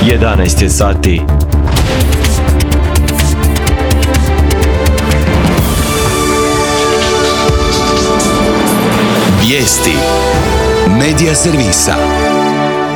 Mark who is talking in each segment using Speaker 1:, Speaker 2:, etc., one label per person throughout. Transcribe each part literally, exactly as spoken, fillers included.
Speaker 1: jedanaest je sati.
Speaker 2: Vijesti Medija servisa.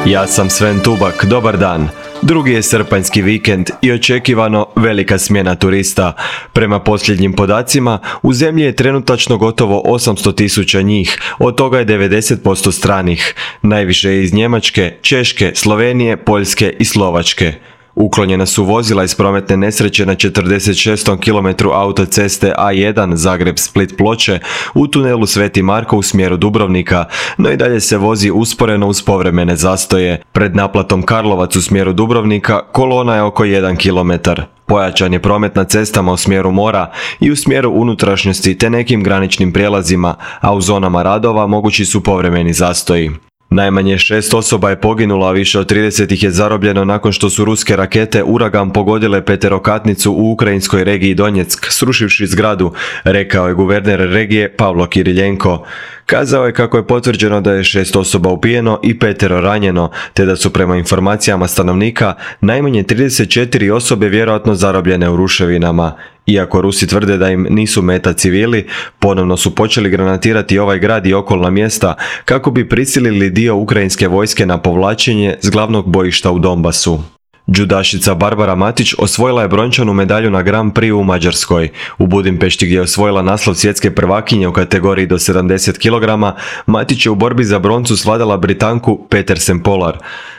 Speaker 1: Ja sam Sven Tubak, dobar dan. Drugi je srpanjski vikend i očekivano velika smjena turista. Prema posljednjim podacima, u zemlji je trenutačno gotovo osamsto tisuća njih, od toga je devedeset posto stranih. Najviše je iz Njemačke, Češke, Slovenije, Poljske i Slovačke. Uklonjena su vozila iz prometne nesreće na četrdeset šestom kilometru autoceste A jedan Zagreb-Split-Ploče u tunelu Sveti Marko u smjeru Dubrovnika, no i dalje se vozi usporeno uz povremene zastoje. Pred naplatom Karlovac u smjeru Dubrovnika kolona je oko jedan kilometar. Pojačan je promet na cestama u smjeru mora i u smjeru unutrašnjosti te nekim graničnim prijelazima, a u zonama radova mogući su povremeni zastoji. Najmanje šest osoba je poginulo, a više od trideset ih je zarobljeno nakon što su ruske rakete Uragan pogodile peterokatnicu u ukrajinskoj regiji Donjeck, srušivši zgradu, rekao je guverner regije Pavlo Kiriljenko. Kazao je kako je potvrđeno da je šest osoba ubijeno i petero ranjeno, te da su prema informacijama stanovnika najmanje trideset četiri osobe vjerojatno zarobljene u ruševinama. Iako Rusi tvrde da im nisu meta civili, ponovno su počeli granatirati ovaj grad i okolna mjesta kako bi prisilili dio ukrajinske vojske na povlačenje s glavnog bojišta u Donbasu. Džudašica Barbara Matić osvojila je brončanu medalju na Grand Prix u Mađarskoj. U Budimpešti, gdje je osvojila naslov svjetske prvakinje u kategoriji do sedamdeset kilograma, Matić je u borbi za broncu svladala Britanku Petersen Polar.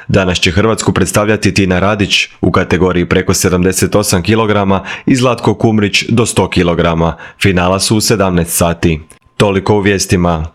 Speaker 1: Danas će Hrvatsku predstavljati Tina Radić u kategoriji preko sedamdeset osam kilograma i Zlatko Kumrić do sto kilograma. Finala su u sedamnaest sati. Toliko u vijestima.